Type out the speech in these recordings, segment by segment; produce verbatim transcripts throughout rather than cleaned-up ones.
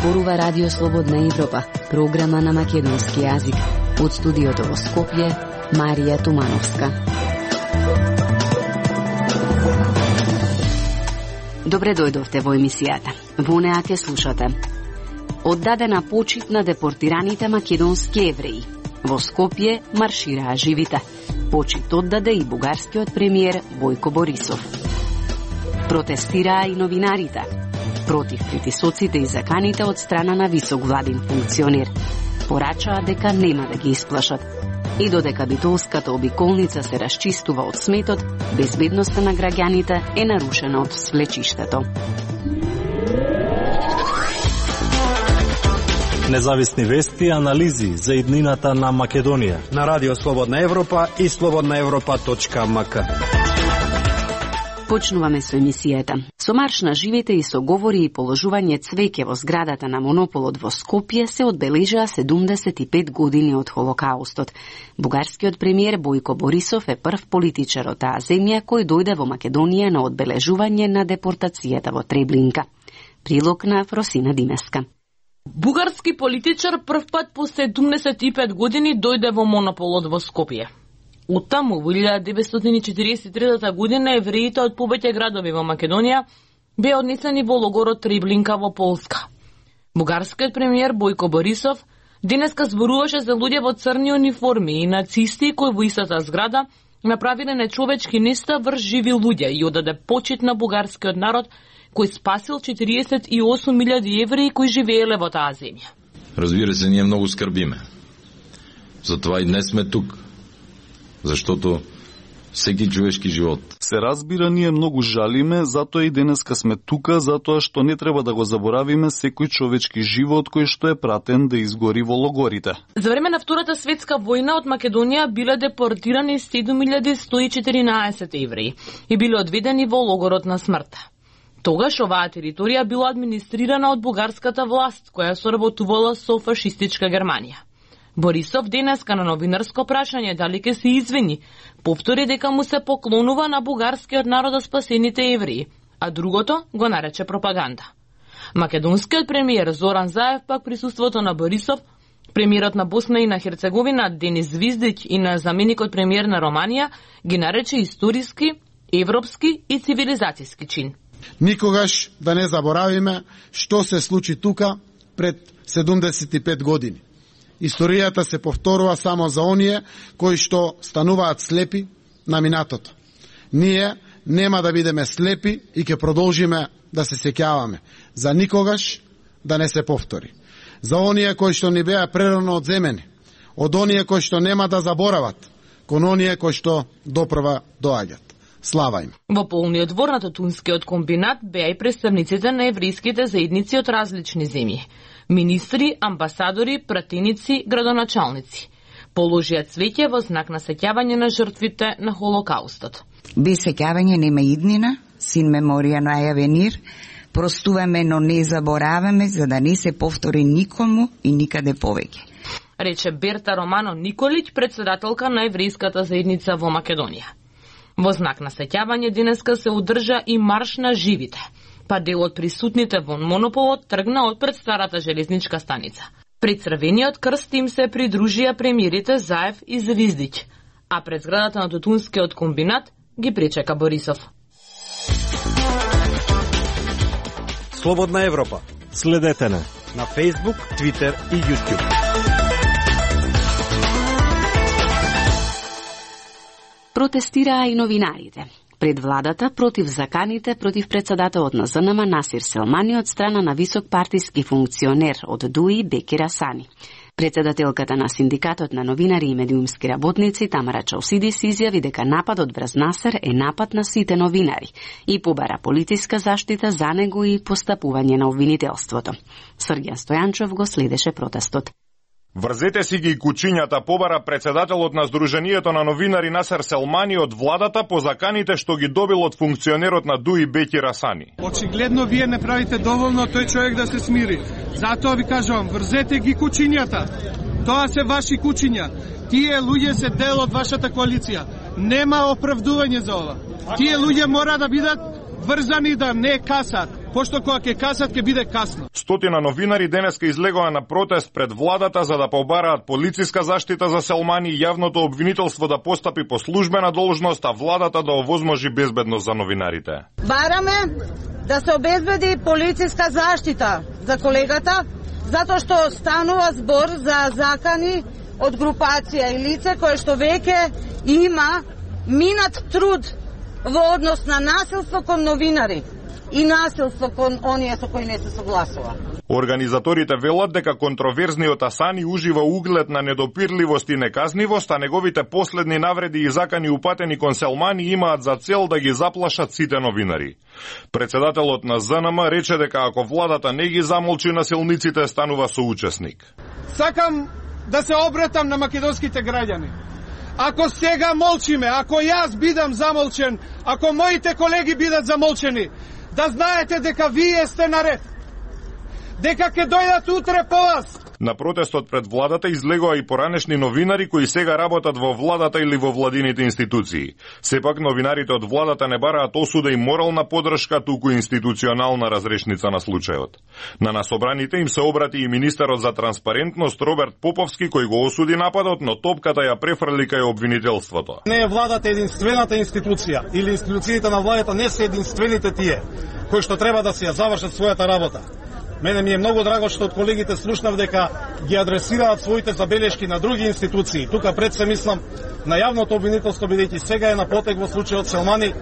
Зборува Радио Слободна Европа, програма на македонски јазик. Од студиото во Скопје, Марија Тумановска. Добре дојдовте во емисијата. Во неа ке слушате. Оддадена почит на депортираните македонски евреи. Во Скопје маршираа живите. Почит оддаде и бугарскиот премиер Бојко Борисов. Протестираа и новинарите против притисоците и заканите од страна на висок владин функционер. Порачаа дека нема да ги исплашат. И додека битолската обиколница се расчистува од сметот, безбедноста на граѓаните е нарушена од свлечиштето. Независни вести и анализи за иднината на Македонија на Радио Слободна Европа и слободна европа точка ем ка. Почнуваме со емисијата. Со марш на живите и со говори и положување цвеќе во зградата на Монополот во Скопје се одбележаа седумдесет и пет години од Холокаустот. Бугарскиот премиер Бојко Борисов е прв политичар од таа земја кој дојде во Македонија на одбележување на депортацијата во Треблинка. Прилог на Фросина Димеска. Бугарски политичар прв пат по седумдесет и пет години дојде во Монополот во Скопје. Оттаму, во илјада деветстотини четириесет и трета година, евреите од повеќе градови во Македонија беа однесени во логорот Треблинка во Полска. Бугарскиот премиер Бојко Борисов денеска зборуваше за луѓе во црни униформи и нацисти кои во истата зграда направиле нечовечки нешта врз живи луѓе и одаде почит на бугарскиот народ кој спасил четириесет и осум илјади евреи кои живееле во таа земја. Разбира се, ние многу скрбиме. Затоа и днес сме тук. Заштото секи човешки живот. Се разбира, ние многу жалиме, затоа и денеска сме тука, затоа што не треба да го заборавиме секој човечки живот кој што е пратен да изгори во логорите. За време на Втората светска војна од Македонија биле депортирани седум илјади сто и четиринаесет евреи и биле одведени во логорот на смртта. Тогаш оваа територија била администрирана од бугарската власт, која соработувала со фашистичка Германија. Борисов денеска на новинарско прашање дали ќе се извини, повтори дека му се поклонува на бугарскиот народ од спасените евреи, а другото го нарече пропаганда. Македонскиот премиер Зоран Заев пак присуството на Борисов, премиерот на Босна и на Херцеговина Денис Звиздиќ и на заменикот премиер на Романија ги нарече историски, европски и цивилизацијски чин. Никогаш да не заборавиме што се случи тука пред седумдесет и пет години. Историјата се повторува само за оние кои што стануваат слепи на минатото. Ние нема да бидеме слепи и ќе продолжиме да се сеќаваме, за никогаш да не се повтори. За оние кои што ни беа прерано одземени, од оние кои што нема да заборават, кон оние кои што допрва доаѓат. Слава им. Во полниот двор на Тутунскиот комбинат беа и представниците на еврејските заедници од различни земји. Министри, амбасадори, пратеници, градоначалници. Положија цвеќе во знак на сеќавање на жртвите на Холокаустот. Без сеќавање нема иднина, син меморија најаве нир, простуваме, но не забораваме, за да не се повтори никому и никаде повеќе. Рече Берта Романо Николиќ, председателка на еврејската заедница во Македонија. Во знак на сеќавање денеска се одржа и марш на живите, па дел од присутните во Монополот тргна од пред старата железничка станица. Пред црвениот крст им се придружија премиерите Заев и Звиздиќ, а пред зградата на Тутунскиот комбинат ги пречека Борисов. Слободна Европа. Следете на на Facebook, Twitter и YouTube. Протестираа и новинарите пред владата против заканите против председателот на ЗНМ Насир Селмани од страна на висок партиски функционер од ДУИ Беки Расани. Председателката на Синдикатот на новинари и медиумски работници Тамара Чаусидис изјави дека нападот врз Насер е напад на сите новинари и побара политиска заштита за него и постапување на обвинителството. Срѓан Стојанчов го следеше протестот. Врзете си ги кучињата, побара председателот на Сдруженијето на новинари Насер Селмани од владата по заканите што ги добил од функционерот на ДУИ Беки Расани. Очигледно вие не правите доволно тој човек да се смири. Затоа ви кажувам, врзете ги кучињата. Тоа се ваши кучиња. Тие луѓе се дел од вашата коалиција. Нема оправдување за ова. Тие луѓе мора да бидат врзани да не касат, пошто кога ќе касат ќе биде касно. Стотина новинари денеска излегоа на протест пред владата за да побараат полициска заштита за Селмани и јавното обвинителство да постапи по службена должност, а владата да овозможи безбедност за новинарите. Бараме да се обезбеди полициска заштита за колегата, затоа што станува збор за закани од групација и лице кое што веќе има минат труд во однос на насилство кон новинари и насилство кон оние со кои не се согласува. Организаторите велат дека контроверзниот Асани ужива углед на недопирливост и неказнивост, а неговите последни навреди и закани упатени кон Селмани имаат за цел да ги заплашат сите новинари. Председателот на З Н М рече дека ако владата не ги замолчи насилниците, станува соучесник. Сакам да се обратам на македонските граѓани. Ако сега молчиме, ако јас бидам замолчен, ако моите колеги бидат замолчени, да знаете дека вие сте наред. Дека ќе дојдат утре по вас. На протестот пред владата излегоа и поранешни новинари кои сега работат во владата или во владините институции. Сепак новинарите од владата не бараат осуда и морална поддршка, туку институционална разрешница на случајот. На насобраните им се обрати и министерот за транспарентност Роберт Поповски, кој го осуди нападот, но топката ја префрли кај обвинителството. Не е владата единствената институција или институциите на владата не се единствените тие кои што треба да се ја завршат својата работа. Мене ми е многу драго што од колегите слушнав дека ги адресираат своите забелешки на други институции. Тука пред се мислам на јавното обвинителство, бидејќи сега е на потек во случајот Селмани,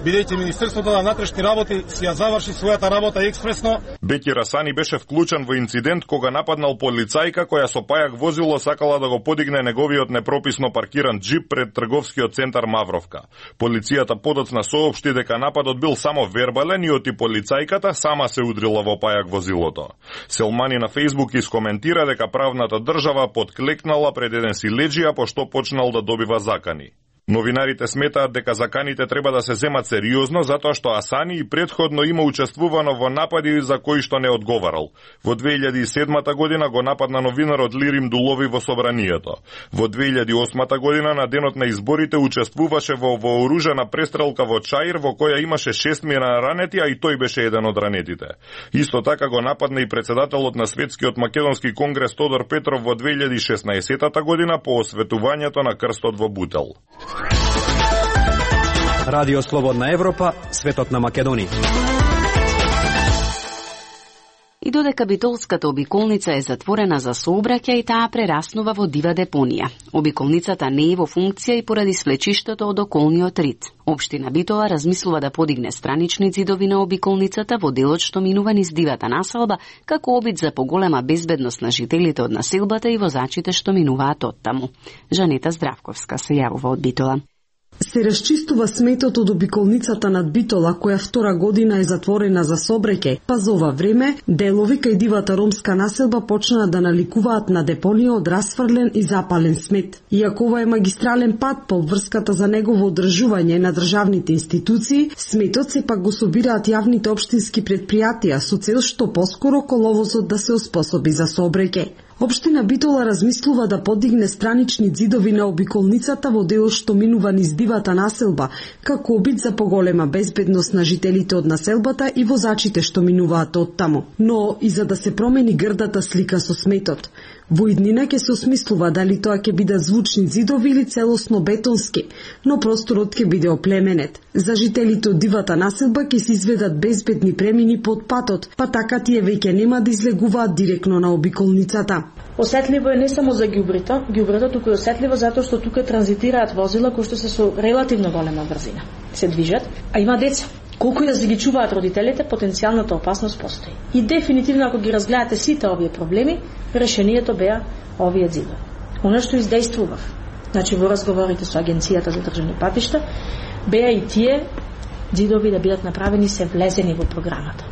бидејќи Министерството на внатрешни работи си ја заврши својата работа експресно. Бекир Асани беше вклучен во инцидент кога нападнал полицајка која со пајак возило сакала да го подигне неговиот непрописно паркиран джип пред трговскиот центар Мавровка. Полицијата подоцна соопшти дека нападот бил само вербален и оти полицајката сама се удрила во пајак возилото. Селмани на Фејсбук искоментира дека правната држава подклекнала пред еден силеџија пошто почнал да добива закани. Новинарите сметаат дека заканите треба да се земат сериозно затоа што Асани и претходно има учествувано во напади за кои што не одговарал. Во две илјади и седмата година го нападна новинарот Лирим Дулови во собранието. Во две илјади и осмата година на денот на изборите учествуваше во вооружена престрелка во Чаир во која имаше шестмина ранети, а и тој беше еден од ранетите. Исто така го нападна и председателот на Светскиот македонски конгрес Тодор Петров во две илјади и шеснаесетата година по осветувањето на крстот во Бутел. Радио Слободна Европа, светот на Македонија. И додека битолската обиколница е затворена за сообраќај и таа прераснува во дива депонија. Обиколницата не е во функција и поради свлечиштето од околниот рид. Општина Битола размислува да подигне странични ѕидови на обиколницата во делот што минува низ дивата населба, како обид за поголема безбедност на жителите од населбата и возачите што минуваат оттаму. Жанета Здравковска се јавува од Битола. Се расчистува сметот од обиколницата над Битола, која втора година е затворена за сообраќај, па за ова време делови кај дивата ромска населба почнаа да наликуваат на депонија од расфрлен и запален смет. Иако ова е магистрален пат по врската за негово одржување на државните институции, сметот сепак го собираат јавните општински предпријатија со цел што поскоро коловозот да се оспособи за сообраќај. Општина Битола размислува да подигне странични ѕидови на обиколницата во делот што минува низ дивата населба, како обид за поголема безбедност на жителите од населбата и возачите што минуваат оттаму. Но и за да се промени грдата слика со сметот. Во иднина ќе се осмислува дали тоа ќе бидат звучни ѕидови или целосно бетонски, но просторот ќе биде оплеменет. За жителите од дивата населба ќе се изведат безбедни премини под патот, па така тие веќе нема да излегуваат директно на обиколницата. Осетливо е не само за ѓубрето, ѓубрето туку е осетливо затоа што тука транзитираат возила кои што се со релативно голема брзина. Се движат, а има деца. Колку и да се ги чуваат родителите, потенцијалната опасност постои. И дефинитивно ако ги разгледате сите овие проблеми, решението беа овие ѕидови. Оно што издействував, значи во разговорите со Агенцијата за државни патишта, беа и тие ѕидови да бидат направени се влезени во програмата.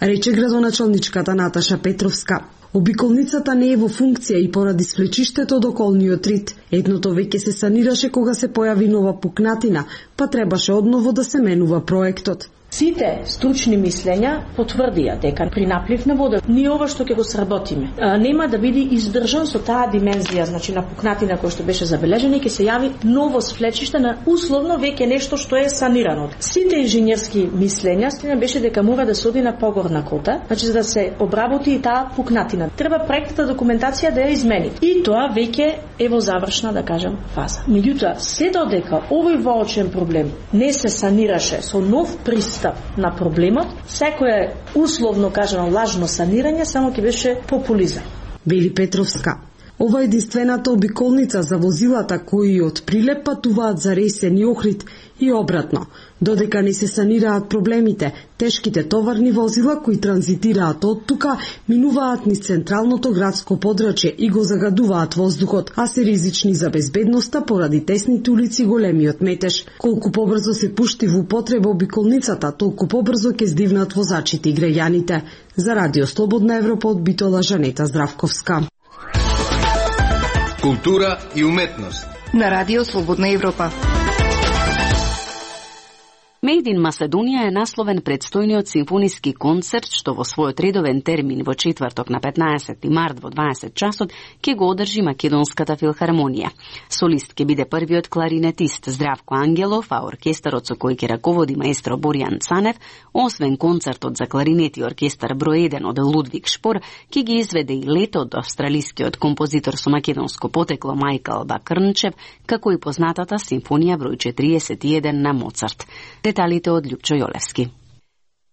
Рече градоначалничката Наташа Петровска. Обиколницата не е во функција и поради свлечиштето од околниот рид. Едното веќе се санираше кога се појави нова пукнатина, па требаше одново да се менува проектот. Сите стручни мислења потврдија дека при наплив на вода ние ова што ќе го сработиме а, нема да биде издржан со таа димензија, значи на пукнатина која што беше забележена и ќе се јави ново свлечиште на условно веќе нешто што е санирано. Сите инженерски мислења стина беше дека мора да се оди на погорна кота, значи за да се обработи и таа пукнатина. Треба проектната документација да ја измени. И тоа веќе е во завршна, да кажам, фаза. Меѓутоа, се додека овој воочен проблем не се санираше со нов пристап на проблемот, секое условно кажано лажно санирање само ќе беше популизам. Вели Петровска. Ова е единствената обиколница за возилата кои од Прилеп патуваат за Ресен и Охрид и обратно. Додека не се санираат проблемите, тешките товарни возила кои транзитираат од тука минуваат низ централното градско подрачје и го загадуваат воздухот, а се ризични за безбедноста поради тесните улици и големиот метеж. Колку побрзо се пушти во употреба обиколницата, толку побрзо ќе здивнат возачите и граѓаните. За Радио Слободна Европа од Битола, Жанета Здравковска. Култура и уметност на Радио Слободна Европа. Made in Macedónia е насловен предстојниот симфониски концерт што во својот редовен термин во четврток на петнаесети март во дваесет часот ќе го одржи Македонската филхармонија. Солист ќе биде првиот кларинетист Здравко Ангелов, а оркестарот со кој ќе раководи маестро Боријан Цанев, освен концертот за кларинет и оркестар број еден од Лудвиг Шпор, ќе ги изведе и лето од австралискиот композитор со македонско потекло Мајкл Бакрнчев, како и познатата симфонија број четириесет и еден на Моцарт. Деталите од Љупчо Јолевски.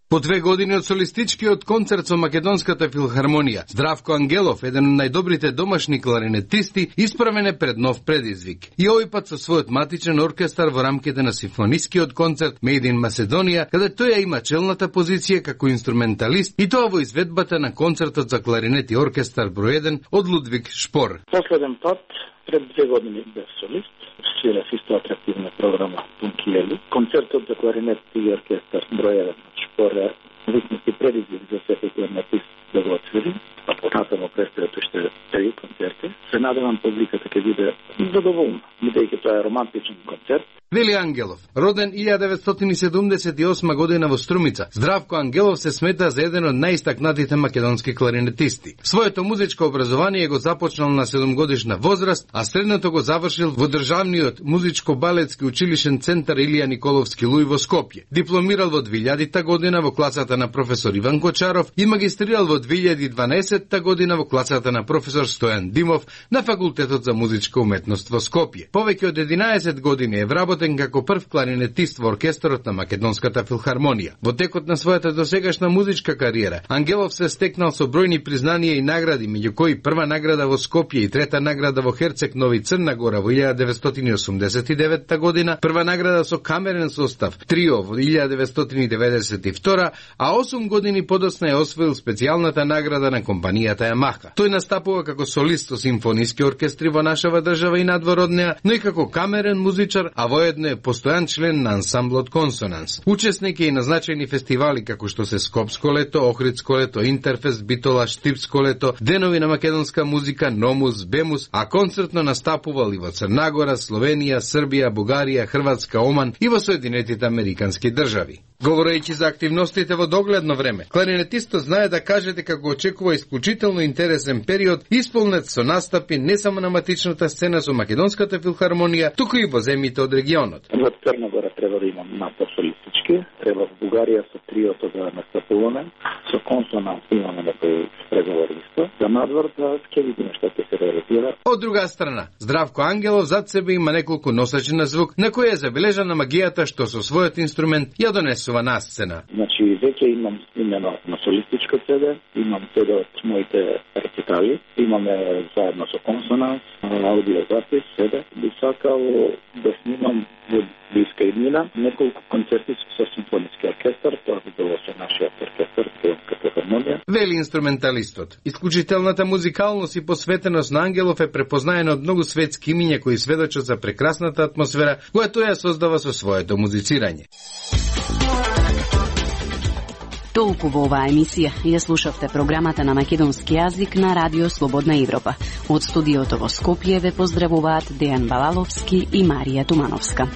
По две години од солистичкиот концерт со Македонската филхармонија, Здравко Ангелов, еден од најдобрите домашни кларинетисти, исправен е пред нов предизвик. И овој пат со својот матичен оркестар во рамките на симфонискиот концерт Made in Macedónia, каде тој ја има челната позиција како инструменталист, и тоа во изведбата на концертот за кларинет и оркестар број еден од Лудвиг Шпор. Последен пат пред две години бев солист. Свирав исто атрактивна програма Пункиели. Концертот за кларинет и оркестар број еден Шпор е вистински предизвик за секој кларинетист да го отсвири, а понатамо предстојат уште три концерти. Се надевам публиката ќе биде задоволна, бидејќи тоа е романтичен концерт. Вели Ангелов, роден илјада деветстотини седумдесет и осма година во Струмица, Здравко Ангелов се смета за еден од најистакнатите македонски кларинетисти. Своето музичко образование го започнал на седумгодишна возраст, а средното го завршил во државниот музичко-балетски училишен центар Илија Николовски Луј во Скопје. Дипломирал во двилјадита година во класата на професор Иван Кочаров и магистрирал во две илјади и дванаесетта година во класата на професор Стојан Димов на Факултетот за музичка уметност во Скопје. Повеќе од единаесет години е вработен како прв кларинетист во оркестарот на Македонската филхармонија. Во текот на својата досегашна музичка кариера, Ангелов се стекнал со бројни признанија и награди, меѓу кои прва награда во Скопје и трета награда во Херцег Нови Црна Гора во илјада деветстотини осумдесет и деветта година, прва награда со камерен состав Трио во илјада деветстотини деветдесет и втора, а осум години подоцна е освоил специјалната награда на компанијата Ямаха. Тој настапува како солист со симфониски оркестри во нашава држава и надвор од неа, но и како камерен музичар, а воедно е постојан член на ансамблот Консонанс. Учесник е и на значајни фестивали како што се Скопско лето, Охридско лето, Интерфест, Битола, Штипско лето, Денови на македонска музика, Номус, Бемус, а концертно настапувал и во Црнагора, Словенија, Србија, Бугарија, Хрватска, Оман и во Соединетите американски држави. Говорејќи за активностите во догледно време, кларинетистот знае да каже дека го очекува исклучително интересен период, исполнет со настапи не само на матичната сцена со Македонската филхармонија, туку и во земјите од регионот. Во Црна Гора треба да имам настап солистички, треба во Бугарија со триото да настапуваме, со Консонанс имаме некои преговори исто. За надвор да ќе видиме што ќе се реализира. Од друга страна, Здравко Ангелов зад себе има неколку носачи на звук, на кој е забележана магијата што со својот инструмент ја донесува на сцена. Значи, веќе имам имено на солистичко седе, имам седе од моите рецитали, имаме заедно со Консонанс, аудиозапис, седе. Би сакал да снимам во блиска иднина неколку концерти со симфониски оркестар, тоа би било со нашиот оркестар, Македонската филхармонија. Вели инструменталистот. Исклучителната музикалност и посветеност на Ангелов е препознаена од многу светски имиња кои сведочат за прекрасната атмосфера која тој ја создава со своето музицирање. Толку во оваа емисија ја слушавте програмата на македонски јазик на Радио Слободна Европа. Од студиото во Скопје ве поздравуваат Дејан Балаловски и Марија Тумановска.